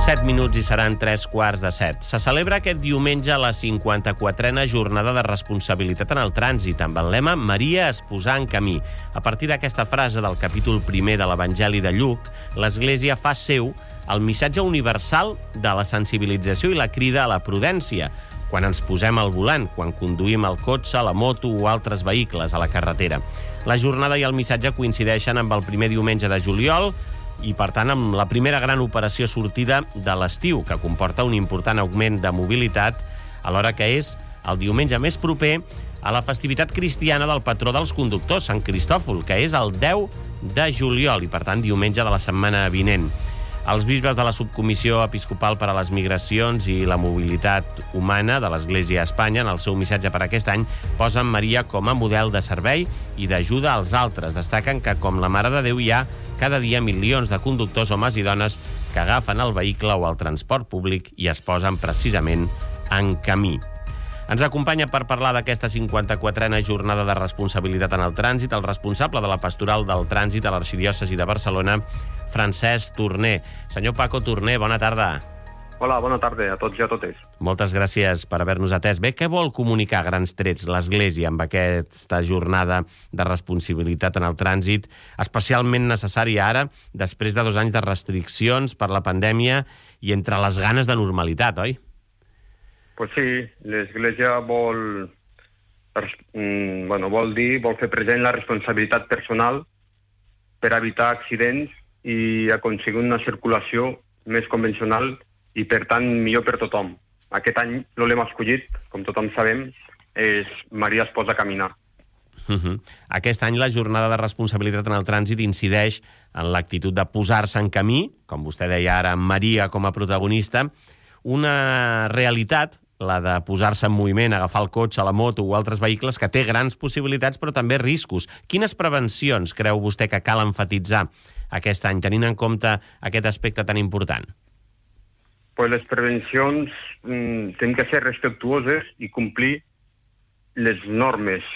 7 minuts i seran 3:15. Se celebra aquest diumenge la 54a jornada de responsabilitat en el trànsit, amb el lema Maria es posà en camí. A partir d'aquesta frase del capítol 1 de l'Evangeli de Lluc, l'Església fa seu el missatge universal de la sensibilització i la crida a la prudència, quan ens posem al volant, quan conduïm el cotxe, la moto o altres vehicles a la carretera. La jornada i el missatge coincideixen amb el primer diumenge de juliol i, per tant, amb la primera gran operació sortida de l'estiu, que comporta un important augment de mobilitat, alhora que és el diumenge més proper a la festivitat cristiana del patró dels conductors, Sant Cristòfol, que és el 10 de juliol i, per tant, diumenge de la setmana vinent. Els bisbes de la Subcomissió Episcopal per a les Migracions i la Mobilitat Humana de l'Església a Espanya, en el seu missatge per aquest any, posen Maria com a model de servei i d'ajuda als altres. Destaquen que, com la Mare de Déu, hi ha cada dia milions de conductors, homes i dones, que agafen el vehicle o el transport públic i es posen precisament en camí. Ens acompanya per parlar d'aquesta 54a jornada de responsabilitat en el trànsit el responsable de la Pastoral del Trànsit a l'Arxidiòcesi de Barcelona, Francesc Torner. Senyor Paco Torner, bona tarda. Hola, bona tarda a tots i a totes. Moltes gràcies per haver-nos atès. Bé, què vol comunicar a grans trets l'Església amb aquesta jornada de responsabilitat en el trànsit, especialment necessària ara, després de 2 anys de restriccions per la pandèmia i entre les ganes de normalitat, oi? Pues sí, l'Església vol fer present la responsabilitat personal per evitar accidents i aconseguir una circulació més convencional i, per tant, millor per tothom. Aquest any el lema escollit, com tothom sabem, és Maria es posa a caminar. Aquest any la jornada de responsabilitat en el trànsit incideix en l'actitud de posar-se en camí, com vostè deia ara, amb Maria com a protagonista, una realitat, la de posar-se en moviment, agafar el cotxe, la moto o altres vehicles, que té grans possibilitats però també riscos. Quines prevencions creu vostè que cal emfatitzar aquest any, tenint en compte aquest aspecte tan important? Pues les prevencions tenen que ser respectuoses i complir les normes.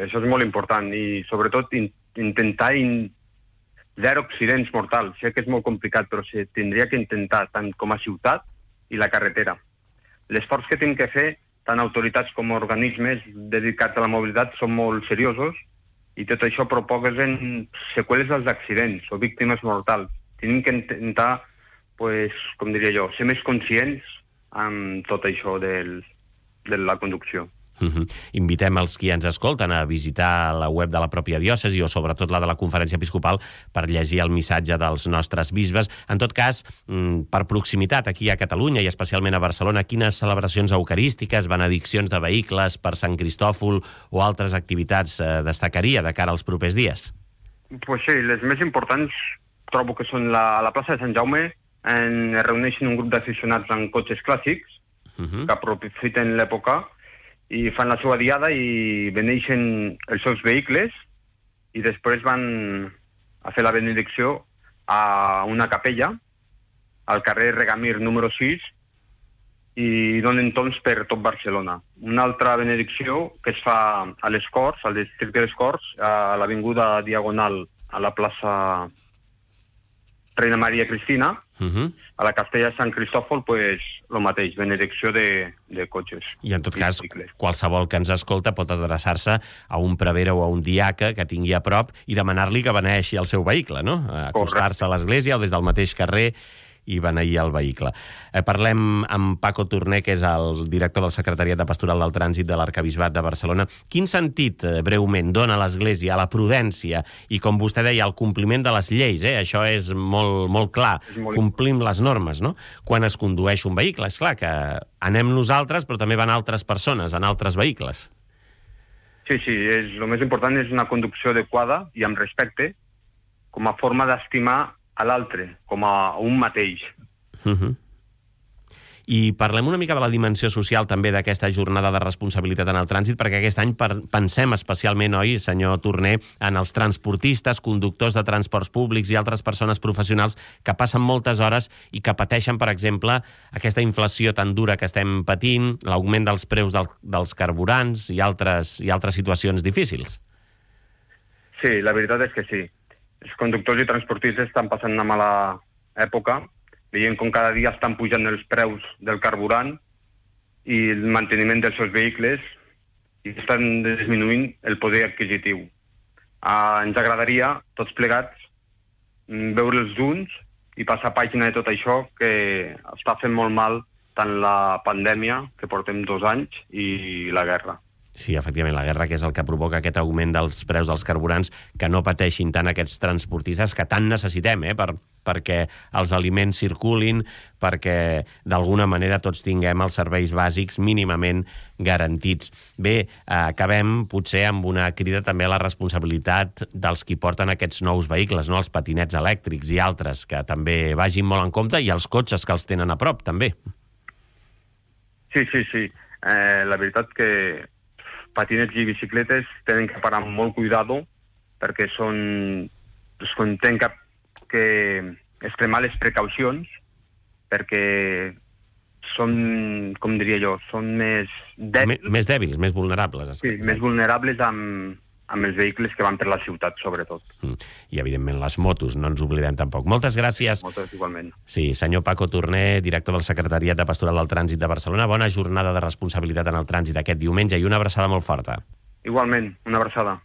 Això és molt important i, sobretot, intentar zero accidents mortals. Sé que és molt complicat, però se tindria que intentar, tant com a ciutat i la carretera. L'esforç que tenen que fer, tant autoritats com organismes dedicats a la mobilitat, són molt seriosos i tot això provoca seqüeles dels accidents o víctimes mortals. Tenim que intentar, com diria jo, ser més conscients amb tot això de la conducció. Invitem els qui ens escolten a visitar la web de la pròpia diòcesi o sobretot la de la Conferència Episcopal per llegir el missatge dels nostres bisbes. En tot cas, per proximitat aquí a Catalunya i especialment a Barcelona, quines celebracions eucarístiques, benediccions de vehicles per Sant Cristòfol o altres activitats destacaria de cara als propers dies? Pues sí, les més importants trobo que són a la plaça de Sant Jaume, es reuneixen un grup d'aficionats en cotxes clàssics que aprofiten l'època i fan la seva diada i beneixen els seus vehicles i després van a fer la benedicció a una capella al carrer Regamir número 6 i donen torns per tot Barcelona. Una altra benedicció que es fa a les Corts, al districte de les Corts, a l'avinguda Diagonal a la plaça Reina Maria Cristina, a la Castella de Sant Cristòfol, el mateix, benedicció de cotxes. I en tot cas, qualsevol que ens escolta pot adreçar-se a un prevere o a un diaca que tingui a prop i demanar-li que beneeixi el seu vehicle, no? Acostar-se a l'església o des del mateix carrer i beneir el vehicle. Parlem amb Paco Torner, que és el director del Secretariat de Pastoral del Trànsit de l'Arquebisbat de Barcelona. Quin sentit, breument, dona l'Església a la prudència i, com vostè deia, al compliment de les lleis? Això és molt clar. Complim les normes, no? Quan es condueix un vehicle. És clar que anem nosaltres, però també van altres persones en altres vehicles. Sí, el més important és una conducció adequada i amb respecte, com a forma d'estimar a l'altre, com a un mateix. I parlem una mica de la dimensió social també d'aquesta jornada de responsabilitat en el trànsit, perquè aquest any pensem especialment, oi, senyor Torner, en els transportistes, conductors de transports públics i altres persones professionals que passen moltes hores i que pateixen, per exemple, aquesta inflació tan dura que estem patint, l'augment dels preus dels carburants i altres situacions difícils. Sí, la veritat és que sí. Els conductors i transportistes estan passant una mala època veient com cada dia estan pujant els preus del carburant i el manteniment dels seus vehicles i estan disminuint el poder adquisitiu. Ens agradaria, tots plegats, veure'ls junts i passar pàgina de tot això que està fent molt mal tant la pandèmia, que portem 2 anys, i la guerra. Sí, efectivament, la guerra, que és el que provoca aquest augment dels preus dels carburants, que no pateixin tant aquests transportistes que tant necessitem, perquè els aliments circulin, perquè d'alguna manera tots tinguem els serveis bàsics mínimament garantits. Bé, acabem potser amb una crida també a la responsabilitat dels qui porten aquests nous vehicles, no? Els patinets elèctrics i altres, que també vagin molt en compte, i els cotxes que els tenen a prop, també. Sí. La veritat que patinets i bicicletes tenen que parar amb molt cuidado perquè tenen que extremar les precaucions perquè són, com diria jo, són més dèbils. Més dèbils, més vulnerables. Sí, més vulnerables amb els vehicles que van per la ciutat, sobretot. I, evidentment, les motos, no ens oblidem tampoc. Moltes gràcies. Moltes, igualment. Sí, senyor Paco Torner, director del Secretariat de Pastoral del Trànsit de Barcelona. Bona jornada de responsabilitat en el trànsit aquest diumenge i una abraçada molt forta. Igualment, una abraçada.